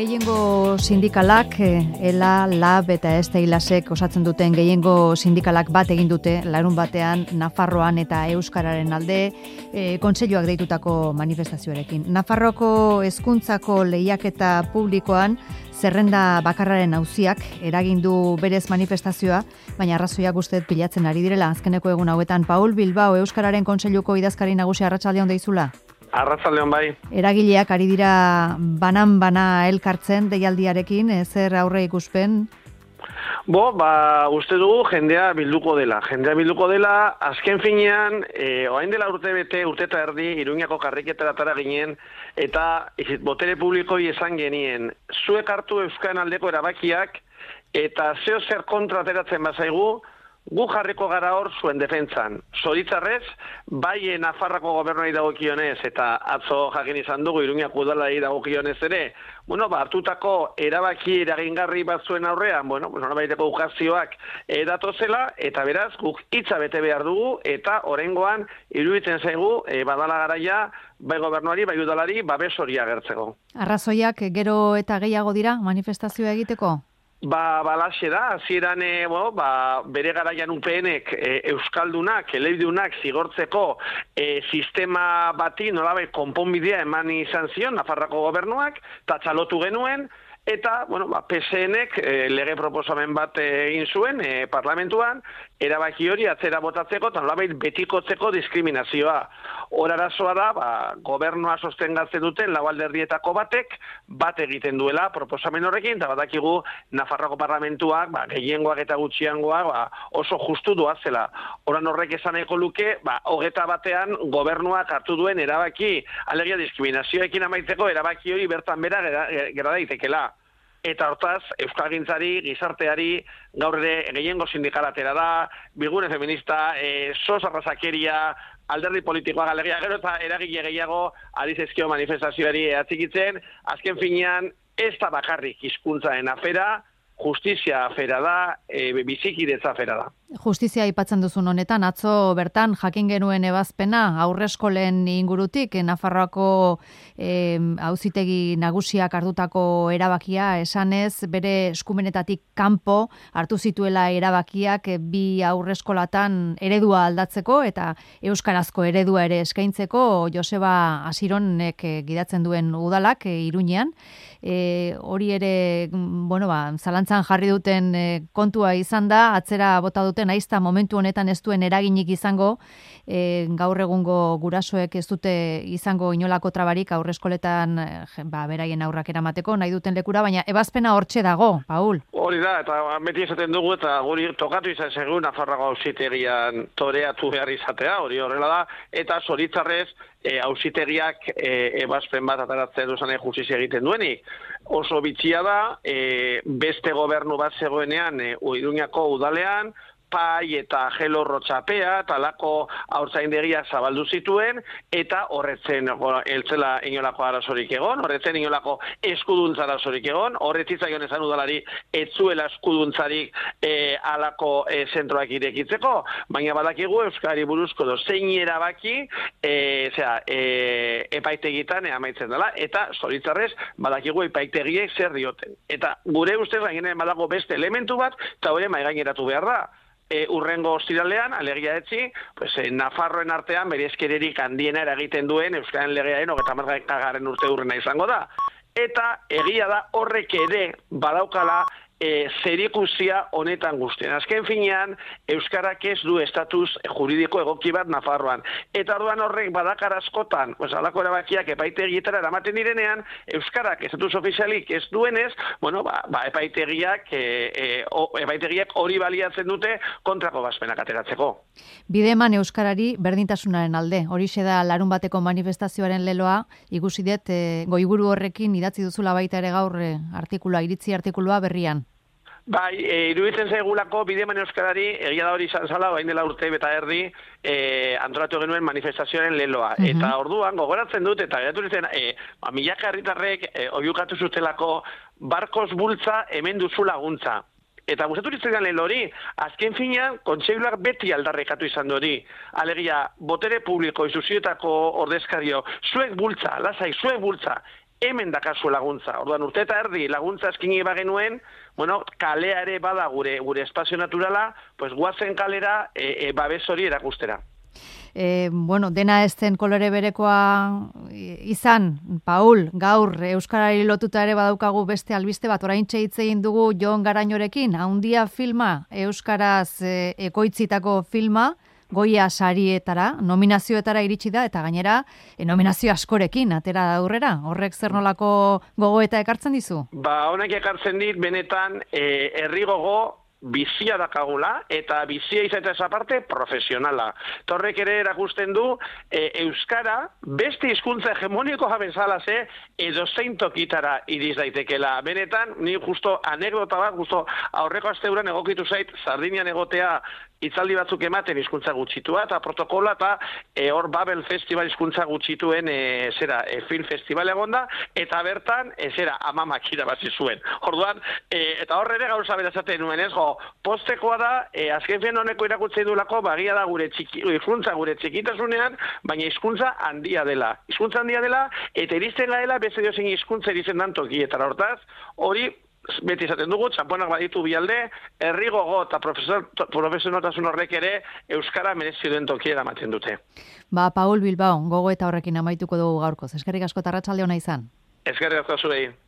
Gehiengo sindikalak, ELA, LAB eta ESTEILASek osatzen duten gehiengo sindikalak bat egin dute larun batean Nafarroan eta Euskararen alde kontseiluak deitutako manifestazioarekin. Nafarroko hezkuntzako lehiaketa publikoan zerrenda bakarraren auziak eragin du berez manifestazioa, baina arrazoiak uste pilatzen ari direla azkeneko egun hauetan. Paul Bilbao, Euskararen kontseiluko idazkari nagusi, arratsaldeon deizula. Arratsaldeon bai. Eragileak ari dira banan-bana elkartzen deialdiarekin, zer aurre ikuspen? Uste dugu jendea bilduko dela. Azken finean, orain dela urte eta erdi, Iruñako karriketeratara ginen, eta botere publikoi esan genien, zuek hartu Euskaren aldeko erabakiak, eta zeo zer kontra ateratzen bazaigu, gu jarriko gara hor zuen defentsan. Zoritzarrez, bai Nafarrako gobernuari dagokionez, eta atzo jakin izan dugu Iruñako udalari dagokionez ere, hartutako erabaki eragingarri batzuen aurrean, norabaiteko ukazioak datozela, eta beraz, guk hitza bete behar dugu, eta oraingoan iruditzen zaigu, badala garaia, bai gobernuari, bai udalari, babes hori agertzeko. Arrazoiak gero eta gehiago dira manifestazioa egiteko? Balaxe da, hasieran bere garaian UPNek euskaldunak, elebidunak zigortzeko sistema bati nolabait konponbidea eman izan zion Nafarroko gobernuak, eta txalotu genuen, eta, PSNek lege proposamen bat egin zuen parlamentuan, erabaki hori atzera botatzeko, eta nolabait betikotzeko diskriminazioa. Hor arazoa da, gobernua sostengatzen duten lau alderdietako batek, bat egiten duela proposamen horrekin, eta badakigu Nafarroko parlamentuak, gehiengoak eta gutxiangoak oso justu doazela. Horan horrek esan nahiko luke, 21 gobernuak hartu duen erabaki, alegia diskriminazioekin amaitzeko erabaki hori bertan bera gera daitekela. Eta hortaz, euskalgintzari, gizarteari, gaur ere gehiengo sindikalatera da, bilgune feminista, sos arrazakeria, alderdi politikoa galegia, gero eta eragile gehiago ari zaizkio manifestazioari atxikitzen, azken finean ez da bakarrik hizkuntzaren afera, justizia afera da, bizikidetza afera da. Justizia aipatzen duzun honetan, atzo bertan jakin genuen ebazpena haurreskolen ingurutik, Nafarroako auzitegi nagusiak hartutako erabakia, esanez bere eskumenetatik kanpo hartu zituela erabakiak bi haurreskolatan eredua aldatzeko eta euskarazko eredua ere eskaintzeko Joseba Asironek gidatzen duen udalak Iruñean. Hori ere, zalantzan jarri duten kontua izan da, atzera bota duten aizta momentu honetan ez duen eraginik izango, gaur egungo gurasoek ez dute izango inolako trabarik aurreskoletan beraien aurrak eramateko nahi duten lekura, baina ebazpena hortxe dago, Paul. Hori da, eta beti esaten dugu, eta guri tokatu izan zaigu Nafarroako auzitegian toreatu behar izatea, hori horrela da, eta zoritzarrez auzitegiak ebazpen bat ataratzen duzan justizia egiten duenik. Oso bitxia da, beste gobernu bat zegoenean Iruñako udalean, pai eta gelo rotxapea, talako haurtzaindegia zabaldu zituen, eta horretzen eltzela inolako arazorik egon, horretzen inolako eskuduntza arazorik egon, horretzitzaion esan udalari etzuela eskuduntzarik alako zentroak irekitzeko, baina badakigu Euskari buruzko zein erabaki epaitegitan amaitzen dela, eta zoritzarrez badakigu epaitegiek zer dioten. Eta gure ustez gainera badago beste elementu bat, eta hori maigaineratu behar da. Urrengo ostiralean, alegia etzi, Nafarroen artean bere eskererik handiena eragiten duen Euskaren legearen 30. urte urrena izango da. Eta egia da horrek ere badaukala zerikusia honetan guztien. Azken finean, Euskarak ez du estatus juridiko egoki bat Nafarroan. Eta orduan horrek badakar askotan, alako erabakiak epaitegietara eramaten direnean, Euskarak estatus ofizialik ez duenez, epaitegiak hori baliatzen dute kontrako bazpenak ateratzeko. Bideman Euskarari berdintasunaren alde. Horixe da larun bateko manifestazioaren leloa, ikusi dut goiburu horrekin idatzi duzula baita ere gaur iritzi artikulua berrian. Bai, iruditzen zaigulako Bideman Euskarari, egia da hori izan zala, orain dela urte eta erdi, antolatu genuen manifestazioaren leloa. Eta orduan, gogoratzen dut, eta geratu ditzen, milaka herritarrek oiukatu zutelako barkos bultza hemen duzu laguntza. Eta gustatu ditzen lehen hori, azken finean, kontseiluak beti aldarrekatu izan hori. Alegia, botere publiko, instituzioetako ordezkario, zuek bultza, lasai, zuek bultza. hemen dakazu laguntza. Orduan, urte eta erdi laguntza eskini bagenuen, kalea ere bada gure espazio naturala, pues guazen kalera babes hori erakustera. Dena ez zen kolore berekoa izan, Paul, gaur Euskarari lotuta ere badaukagu beste albiste bat, oraintxe hitz egin dugu Jon Garañorekin, Haundia filma, Euskaraz ekoitzitako filma, Goia sarietara, nominazioetara iritsi da, eta gainera, nominazio askorekin, atera da aurrera. Horrek zer nolako gogoeta ekartzen dizu? Honek ekartzen dit, benetan, herri gogo, bizia dakagula, eta bizia izatea aparte profesionala. Torrek ere erakusten du, Euskara, beste hizkuntza hegemonikoa bezala edo zein tokitara iriz daitekela. Benetan, ni justo anekdota bat, justo aurreko asteuran egokitu zait, Sardinian egotea hitzaldi batzuk ematen hizkuntza gutxitua, eta protokola, eta hor Babel Festival hizkuntza gutxituen film festival egonda, eta bertan, amamak irabazi zuen. Orduan, eta hor ere gauza berazaten nuen, postekoa da, azken fien honeko irakutzen dulako, bagia da hizkuntza gure txikitasunean, baina hizkuntza handia dela. Hizkuntza handia dela, eta iristen gaela, beste diozen hizkuntza iristen dan tokietara. Hortaz, hori, beti izaten dugu, txamponak baditu bialde, herri gogo eta profesionaltasun horrek ere Euskara merezi duen tokiera ematen dute. Paul Bilbao, gogo eta horrekin amaituko dugu gaurkoz. Eskerrik asko eta arratsalde ona izan. Eskerrik asko zuei.